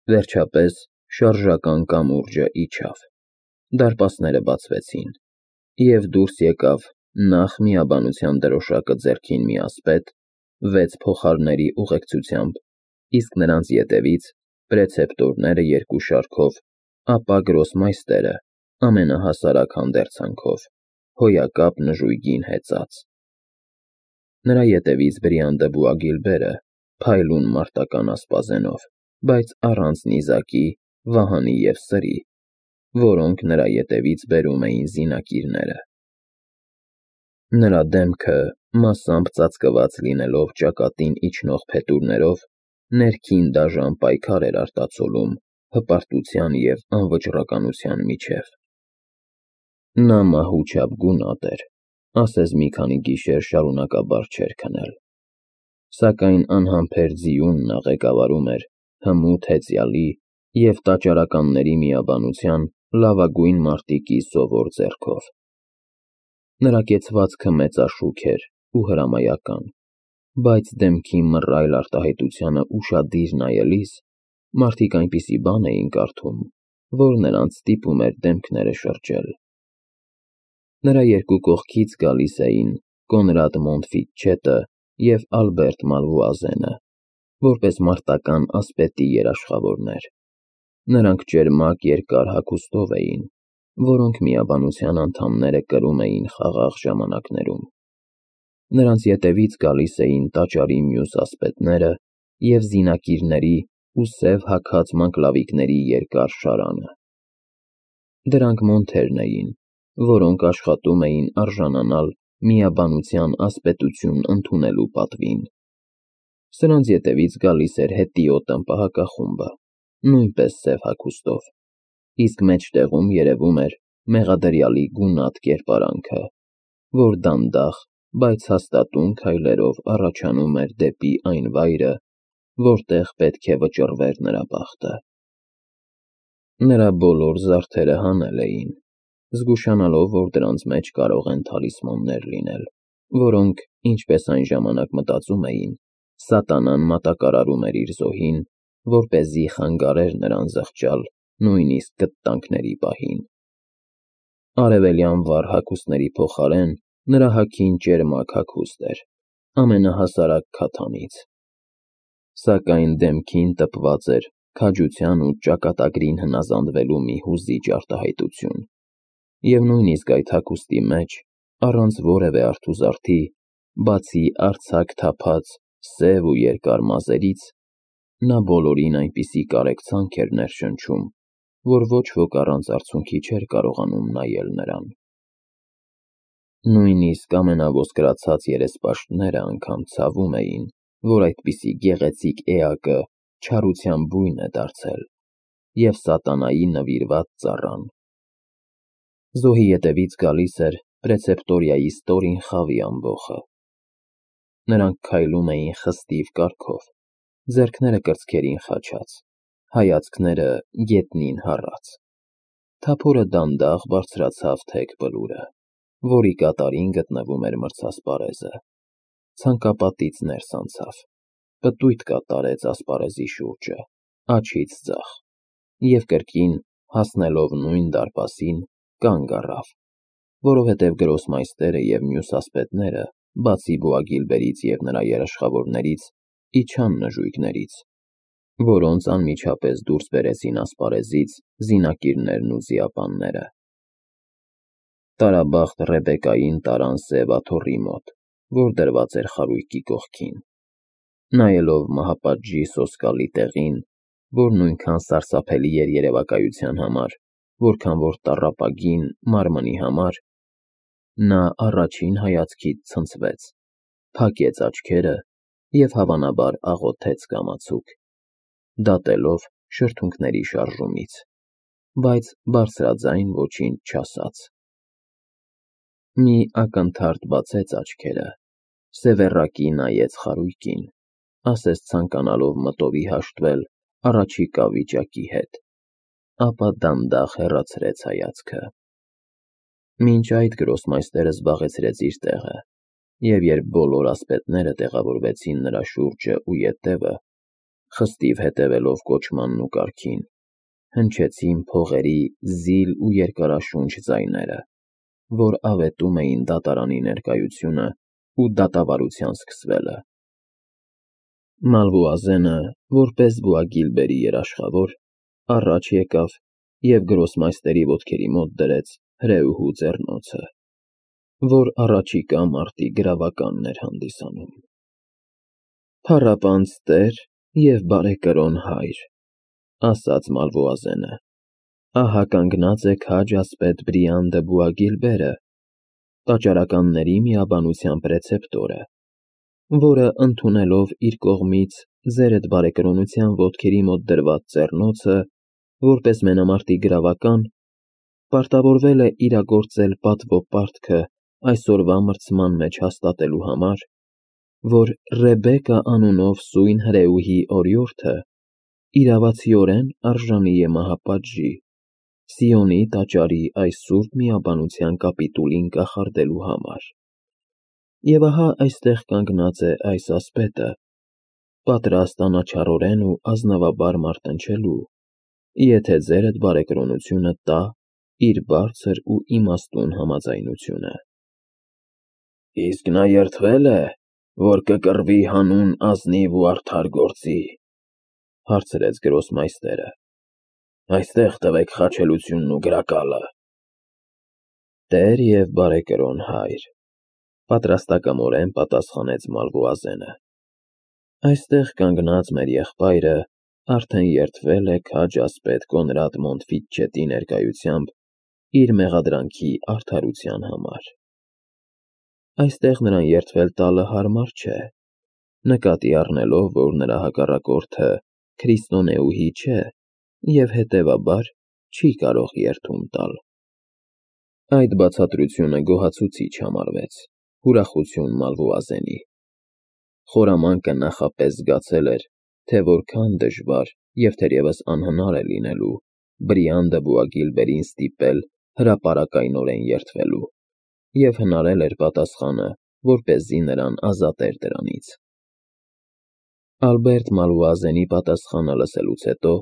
Վերջապես շարժական կամուրջը իջավ, դարպասները բացվեցին, և դուրս եկավ նախ միաբանության դրոշակը ձեռքին մի ասպետ, 6 փոխարների ուղեկցությամբ, իսկ նրանց ետևից պրեցեպտորները 2 շարքով, ապա գրոսմայստերը ամենահասարակ հանդերձանքով, հոյակապ նժույգին հեծած։ Նրա ետևից Բրիանդը Բուագիլբերը փայլուն մարտական ասպազենով, բայց առանց նիզակի, վահանի և սրի, որոնք նրա ետևից բերում էին զինակիրները։ Նրա դեմքը, մասամբ ծածկված լինելով ճակատին իջնող փետուրներով, ներքին դաժան պայքար էր արտացոլում հպարտության և անվճռականության միջև։ Նա մահուչապ գունատ էր, ասես մի քանի գիշեր շարունակաբար չէր քնել, սակայն անհամբեր ձիունն աղեկավարում էր հմուտ հեծյալի և տաճարականների միաբանության լավագույն մարտիկի սովոր ձեռքով։ Նրա կեցվածքը մեծաշուք էր ու հրամայական, բայց դեմքի մռայլ արտահայտությանը ուշադիր նայելիս մարդիկ այնպիսի բան էին կարդում, որ նրանց ստիպում էր դեմքները շրջել։ Նրա երկու կողքից գալիս էին Կոնրադ Մոնտֆիտչետը և Ալբերտ Մալվուազենը, որպես մարտական ասպետի երաշխավորներ։ Նրանք ճերմակ երկար հագուստով էին, որոնք միաբանության անդամները կրում էին խաղաղ ժամանակներում։ Նրանց ետևից գալիս էին տաճարի մյուս ասպետները և զինակիրների ու սև հագած մանկլավիկների երկար շարանը։ Դրանք մոնթերն էին, որոնք աշխատում էին արժանանալ միաբանության ասպետություն ընդունելու պատվին։ Սրանց ետևից գալիս էր հետիոտ ըմպահակախումբը, նույնպես սև հագուստով, իսկ մեջտեղում երևում էր մեղադրյալի գունատ կերպարանքը, որ դանդաղ, բայց հաստատուն քայլերով առաջանում էր դեպի այն վայրը, որտեղ պետք է վճռվեր նրա բախտը։ Նրա բոլոր զարդերը հանել էին, զգուշանալով, որ դրանց մեջ կարող են թալիսմաններ լինել, որոնք, ինչպես այն ժամանակ մտածում էին, սատանան մատակարարում էր իր զոհին, որպեսզի խանգարեր նրան զղջալ նույնիսկ կտտանքների պահին։ Արևելյան վառ հագուստների փոխարեն նրա հագին ճերմակ հագուստ էր, ամենահասարակ քաթանից, սակայն դեմքին տպված էր քաջության ու ճակատագրին հնազանդվելու մի հուզիչ արտահայտություն, և նույնիսկ այդ հագուստի մեջ, առանց որևէ արթուզարդի, բացի արձակ թափած սև ու երկար մազերից, նա բոլորին այնպիսի կարեկցանք էր ներշնչում, որ ոչ ոք առանց արցունքի չէր կարողանում նայել նրան։ Նույնիսկ ամենաոսկրացած երեսպաշտները անգամ ցավում էին, որ այդպիսի գեղեցիկ էակը չարության բույն է դարձել և սատանայի նվիրված ծառան։ Զոհի ետևից գալիս էր պրեցեպտորիայի ստորին խավի ամբոխը։ Նրանք քայլում էին խստիվ կարգով, ձեռքները կրծքերին խաչած, հայացքները գետնին հառած։ Թափորը դանդաղ բարձրացավ թեք բլուրը, որի կատարին գտնվում էր մրցասպարեզը, ցանկապատից ներս անցավ, պտույտ կատարեց ասպարեզի շուրջը, աջից ձախ, և կրկին, հասնելով նույն դարպասին, կանգ առավ, որովհետև գրոսմայստերը և մյուս ասպետները, բացի Բուագիլբերից և նրա երաշխավորներից, իջան նժույգներից, որոնց անմիջապես դուրս բերեցին ասպարեզից զինակիրներն ու զիապանները։ Տարաբախտ Ռեբեկային տարան սև աթոռի մոտ, որ դրված էր խարույկի կողքին։ Նայելով մահապատժի սոսկալի տեղին, որ նույնքան սարսափելի էր երևակայության համար, որքան որ տառապագին մարմնի համար, նա առաջին հայացքից ցնցվեց, փակեց աչքերը և հավանաբար աղոթեց կամացուկ, դատելով շրթունքների շարժումից, բայց բարձրաձայն ոչինչ չասաց։ Մի ակնթարթ բացեց աչքերը, սևեռակի նայեց խարույկին, ասես ցանկանալով մտովի հաշտվել առաջիկա վիճակի հետ, ապա դանդաղ հեռացրեց հայացքը։ Մինչ այդ գրոսմայստերը զբաղեցրեց իր տեղը, և երբ բոլոր ասպետները տեղավորվեցին նրա շուրջը ու ետևը, խստիվ հետևելով կոչմանն ու կարգին, հնչեցին փողերի զիլ ու երկարաշունչ ձայները, որ ավետում էին դատարանի ներկայությունը ու դատավարության սկսվելը։ Մալվուազենը, որպես Բուագիլբերի երաշխավոր, առաջ եկավ և գրոսմայստերի ոտքերի մոտ դրեց հրեուհու ձեռնոցը, որ առաջիկա մարտի գրավականն էր հանդիսանում։ «Փառապանծ Տեր և բարեկրոն Հայր», ասաց Մալվուազենը, ահա կանգնած է քաջ ասպետ Բրիան դը Բուագիլբերը, տաճարականների միաբանության պրեցեպտորը, որը ընդունելով իր կողմից ձերդ բարեկրոնության ոտքերի մոտ դրված ձեռնոցը, որպես մենամարտի գրավական, պարտավորվել է իրագործել պատվո պարտքը այսօրվա մրցման մեջ հաստատելու համար, որ Ռեբեկա անունով սույն հրեուհի օրիորդը իրավացիորեն արժանի է մահապատժի, Սիոնի տաճարի այս սուրբ միաբանության կապիտուլին կախարդելու համար։ Եվ ահա այստեղ կանգնած է այս ասպետը, պատրաստ անաչառորեն ու ազնվաբար մարտնչելու, եթե ձերդ բարեկրոնությունը տա իր բարձր ու իմաստուն համաձայնությունը։ Իսկ նա երդվե՞լ է, որ կկռվի հանուն ազնիվ ու արդար գործի, հարցրեց գրոսմայստերը։ Այստեղ տվեք խաչելությունն ու գրակալը։ Տեր և բարեկրոն Հայր, պատրաստակամորեն պատասխանեց Մալվուազենը, այստեղ կանգնած մեր եղբայրը արդեն երդվել է քաջ ասպետ Կոնրադ Մոնտֆիտչետի ներկայությամբ իր մեղադրանքի արդարության համար։ Այստեղ նրան երդվել տալը հարմար չէ, նկատի առնելով, որ նրա հակառակորդը քրիստոնեուհի չէ և հետևաբար չի կարող երդում տալ։ Այդ բացատրությունը գոհացուցիչ համարվեց, ուրախություն Մալվուազենի։ Խորամանկը նախապես զգացել էր, թե որքան դժվար և թերևս անհնար է լինելու Բրիան դը Բուագիլբերին ստիպել հրապարակայնորեն երդվելու, և հնարել էր պատասխանը, որպեսզի նրան ազատեր դրանից։ Ալբերտ Մալվուազենի պատասխանը լսելուց հետո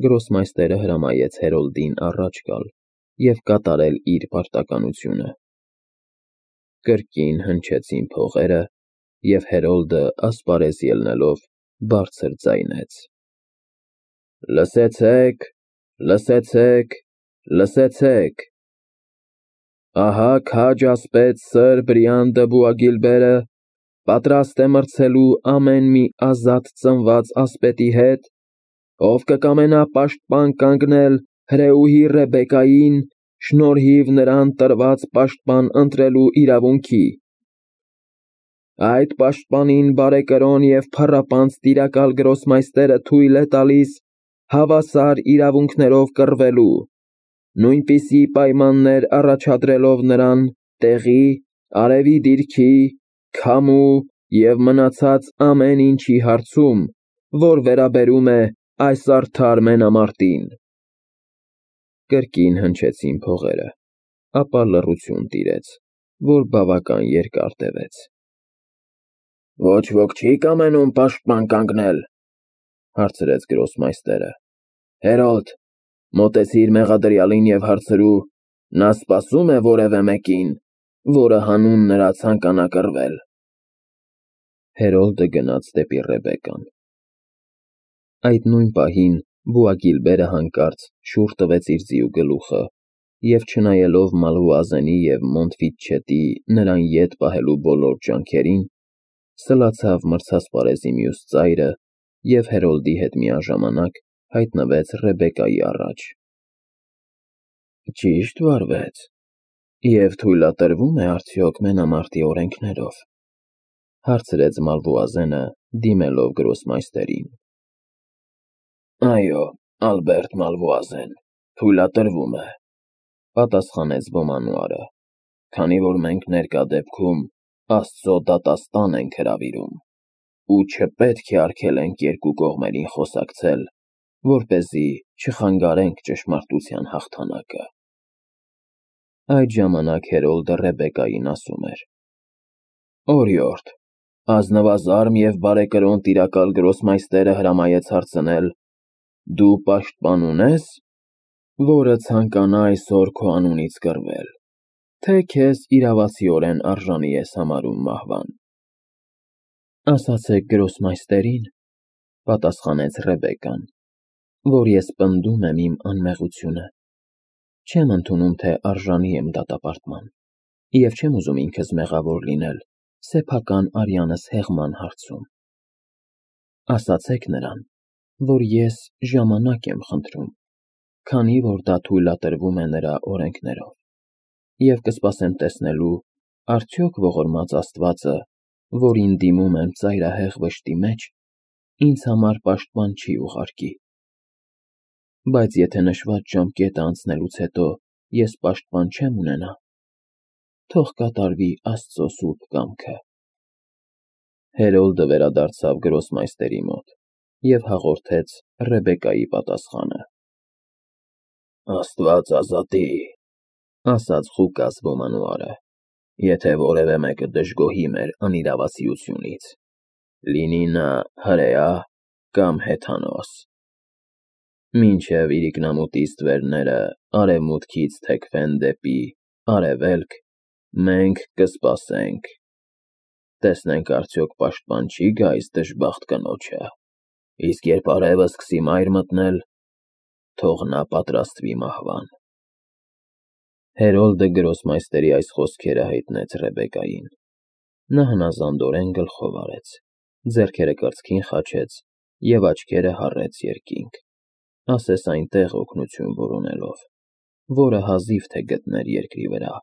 գրոսմայստերը հրամայեց Հերոլդին առաջ գալ և կատարել իր պարտականությունը։ Կրկին հնչեցին փողերը, և Հերոլդը ասպարեզ ելնելով բարձր ձայնեց. Լսեցեք, լսեցեք, լսեցեք. ահա քաջ ասպետ Սր Բրիան դը Բուագիլբերը պատրաստ է մրցելու ամեն մի ազատ ծնված ասպետի հետ, ով կկամենա պաշտպան կանգնել հրեուհի Ռեբեկային, շնորհիվ նրան տրված պաշտպան ընտրելու իրավունքի։ Այդ պաշտպանին բարեկրոն և փառապանծ տիրակալ գրոսմայստերը թույլ է տալիս հավասար իրավունքներով կռվելու, նույնպիսի պայմաններ առաջադրելով նրան տեղի, արևի դիրքի, քամու և մնացած ամեն ինչի հարցում, որ վերաբերում է այս արդար մենամարտին։ Կրկին հնչեցին փողերը, ապա լռություն տիրեց, որ բավական երկար տևեց։ Ոչ ոք չի կամենում պաշտպան կանգնել, հարցրեց գրոսմայստերը։ Հերոլդ, մոտեցիր մեղադրյալին և հարցրու, նա սպասո՞ւմ է որևէ մեկին, որը հանուն նրա ցանկանա կռվել։ Հերոլդը գնաց դեպի Ռեբեկան։ Այդ նույն պահին Բուագիլբերը հանկարծ շուռ տվեց իր ձիու գլուխը և, չնայելով Մալվուազենի և Մոնտֆիտչետի նրան ետ պահելու բոլոր ջանքերին, սլացավ մրցասպարեզի մյուս ծայրը և Հերոլդի հետ միաժամանակ հայտնվեց Ռեբեկայի առաջ։ Ճի՞շտ վարվեց, և թույլատրվո՞ւմ է արդյոք մենամարտի օրենքներով, հարցրեց Մալվուազենը, դիմելով գրոսմայստերին։ Այո, Ալբերտ Մալվուազեն, թույլատրվում է, պատասխանեց բոմանուարը, քանի որ մենք ներկա դեպքում Աստծո դատաստան ենք հրավիրում, ու չպետք է արգելենք երկու կողմերին խոսակցել, որպեսզի չխանգարենք ճշմարտության հաղթանակը։ Այդ ժամանակ Հերոլդը Ռեբեկային ասում էր. Օրիորդ, Ազնվազարմ և բարեկրոն տիրակալ գրոսմայստերը հրամայեց հարցնել. «Դու պաշտպան ունե՞ս, որը ցանկանա այսօր քո անունից կռվել, թե քեզ իրավացիորեն արժանի ես համարում մահվան»։ «Ասացեք գրոսմայստերին, ֊ պատասխանեց Ռեբեկկան, ֊ որ ես պնդում եմ իմ անմեղությունը, չեմ ընդունում, թե արժանի եմ դատապարտման և չեմ ուզում ինքս մեղավոր լինել սեփական արյանս հեղման հարցում։ Ասացեք նրան, որ ես ժամանակ եմ խնդրում, քանի որ դա թույլատրվում է նրա օրենքներով, և կսպասեմ տեսնելու արդյոք ողորմած Աստվածը, որին դիմում եմ ծայրահեղ վշտի մեջ, ինձ համար պաշտպան չի ուղարկի։ Բայց եթե նշված ժամկետը անցնելուց հետո ես պաշտպան չեմ ունենա, թող կատարվի Աստծո սուրբ կամքը»։ Հերոլդը վերադարձավ գրոսմայստերի մոտ և հաղորդեց Ռեբեկկայի պատասխանը։ «Աստված ազատի, ֊ ասաց Ղուկաս ոմանուարը, ֊ եթե որևէ մեկը դժգոհի մեր անիրավասիությունից, լինի նա հրեա կամ հեթանոս։ Մինչև իրիկնամուտի ստվերները արևմուտքից թեքվեն դեպի արևելք, մենք կսպասենք, տեսնենք արդյոք պաշտպան չի գա այս դժբախտ կնոջը, իսկ երբ արևը սկսի մայր մտնել, թող նա պատրաստվի մահվան»։ Հերոլդը գրոսմայստերի այս խոսքերը հայտնեց Ռեբեկկային։ Նա հնազանդորեն գլխով արեց, ձեռքերը կրծքին խաչեց և աչքերը հառեց երկինք, ասես այնտեղ օգնություն որոնելով, որը հազիվ թե գտներ երկրի վրա։